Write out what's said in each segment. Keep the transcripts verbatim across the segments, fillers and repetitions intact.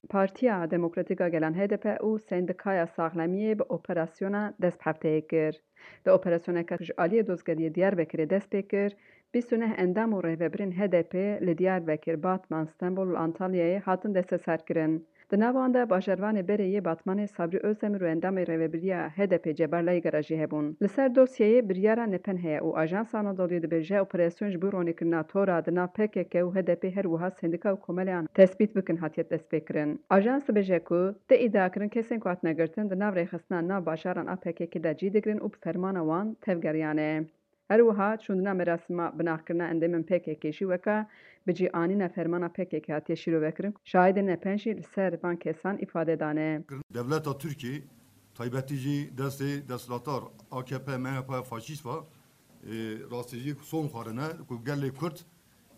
Partiya Demokratîk a Gelan H D P û Sendikaya Saxlemiyê bi operasyona dest bi hefteyê kir. Di operasyoneke ji aliyê Dozgeriyê Diyarbekirê dest pê kir, bîst û neh endam û rêvebirên H D P li Diyarbekir, Batman, Stenbol û Antalyayê hatin desteserkirin. Di nav wan de bajarvanê berê yê Batmanê Sabrî Özdemir û endamê rêvebiriya H D P Cebar Laygara jî hebûn. Li ser dosyeyê biryara nepen heye û Ajansa Anadoluyê dibêje operasyon ji bo ronîkirina tora di nav P K K û H D P her wiha sendika û komeleyan tespît bikin hatiye destpêkirin. Ajans dibêje ku tê îdia kirin kesên ku hatine girtin di nav rêxistina nav bajaran a P K K de cî digirin û bi fermana wan tevgeriyane. Her wiha şûndina merasîma binaxkirina endamên P K K jî weke bi cî anîna fermana P K K hatiye şîrovekirin, şahidên nepen jî li ser van kesan îfade dane. Dewleta Tirkiyê, taybetî jî destê desthilatdar A K P M H P faşîst ve, e, rastî jî son xwarine ku gelê Kurd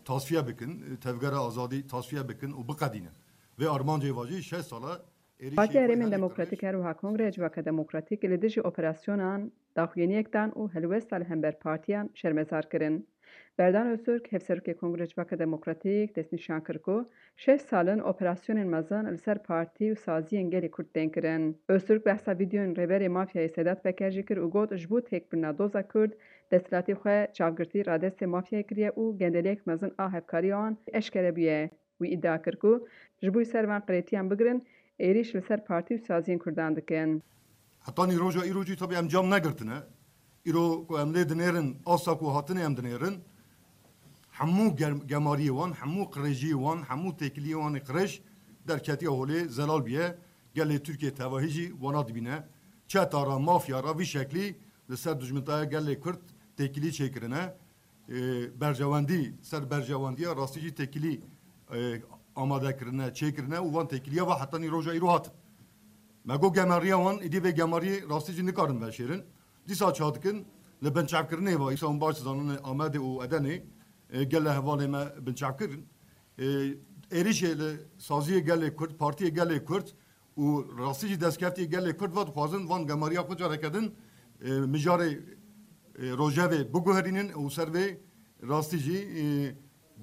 tasfiye bikin, e, tevgera azadî tasfiye bikin û biqedînin. Vê armancê ve jî şeş sal e êrîşê Partiya xwe Herêmên gelê Demokratîk qirêj her wiha Kongreya Civaka Demokratîk li dijî operasyonan daxuyaniyek dan û helwesta li hember partiyan şermezar kirin. Berdan Öztürk, Hevserokê Kongreya Civaka Demokratîk, destnîşan kir ku şeş sal in operasyonên mezin li ser partî û saziyên gelê Kurd tên kirin. Öztürk behsa vîdeoyên Rêberê Mafyayê Sedat Peker jî kir û got, ji bo têkbirina doza Kurd, desthilatî xwe çavgirtî radestê mafyayê kiriye û gendeliyek mezin a hevkariya wan eşkere bûye. Wî îdia kir ku ji bo ser van qirêtiyan bigirin, êrîş li ser partî û saziyên Kurdan dikin. Hetanî roja îro jî tabii em cam negirtine. Îro ku em lê dinêrin, asta ku hatine em dinêrin, hemû gem- gemariyê wan, hemû qirêjiyê wan, hemû têkiliyê wan ê qirêj derketiye holê, zelal bûye. Gelê Tirkiyê tevahî jî wana dibîne. Çeta re, mafya re vî şeklî li ser dijminteya gelê Kurd têkilî çêkirine. E, berjewendî ser berjewendiya rastî jî têkilî, e, amade kirine, çêkirine û van têkiliya ve hetanî roja îro hatin. Me got gemariya wan, îdî vê gemariyê rastî jî nikarin veşêrin. Dîsa çawa dikin? Li binçavkirinê ve, îsa hûn baş dizanin Amedê û Edenê, e, gele hevalê me binçavkirin. E, êrîşê li saziyê gelê Kurd, partiyê gelê Kurd û rastî jî destkeftiyê gelê Kurd ve dixwazin van gemariya xwe careke din, e, mijarê, e, rojevê biguherînin û ser vê rastî jî, e,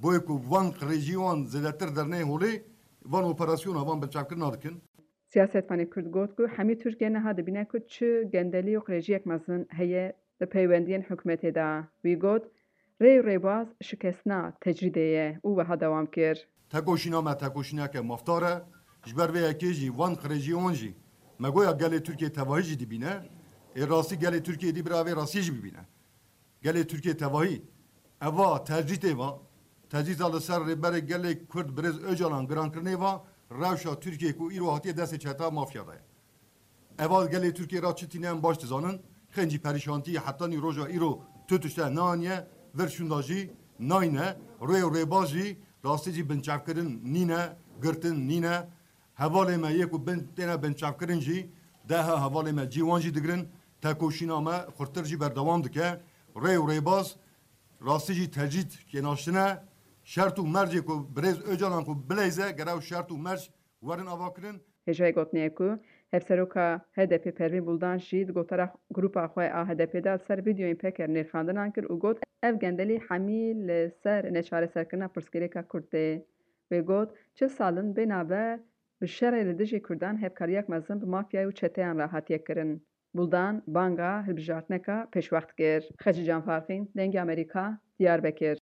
boyê ku van qirêjî wan zêdetir derneyê holê, van operasyona, van binçavkirina dikin. Siyasetvanê Kurd got ku hemî Tirkiye niha dibîne ku çi gendelî û qirêjiyek mezin heye di peywendiyên hikûmetê de. Wî got, rê û rêbaz şikestina tecrîdê ye û wiha dewam kir. Tekoşîna me tekoşîneke mafdar e. Ji ber vê yekê jî van qirêjiyê wan jî me goya gelê Tirkiyê tevahî jî dibîne. Ê rastî gelê Tirkiyê dî bira vê rastî jî bibîne. Gelê Tirkiyê tevahî eva tecrîtê va, tecrîta li ser Rêberê Gelê Kurd Birêz Ocalan girankirinê va, rewşa Tirkiyê ku îro hatiye destê çeta mafya de ye. Eva gelê Tirkiyê ra çi tîne em baş dizanin, xêncî perîşantî hetanî roja îro tu tişte neaniye, vir şûnda jî nayne, rê û rêbaz jî rastî jî binçavkirin nîne, girtin nîne. Hevalê me yê ku bin têne binçavkirin jî, deha hevalê me cî wan jî digirin, tekoşîna me xurttir jî berdewam dike. Rê û rêbaz rastî jî tecrîd kênaştine. Şert û mercê ku birêz Ocalan ku bileyze, gere ew şert û merc werin avakirin. Hêjayî gotinê ye ku Hevseroka H D P Pervîn Buldan jî di gotara grûpa xwe a H D P de li ser vîdeoyên Peker nirxandinan kir û got, ev gendelî hemî li ser neçareserkirina pirsgirêka Kurd tê. Wê got, çil sal in bê navber bi şerê li dijî Kurdan hevkariyek mezin bi mafyayê û çeteyan re hatiye kirin. Buldan banga hilbijartineka pêşwext kir. Xecîcan Farqîn, Dengê Amerîka, Diyarbekir.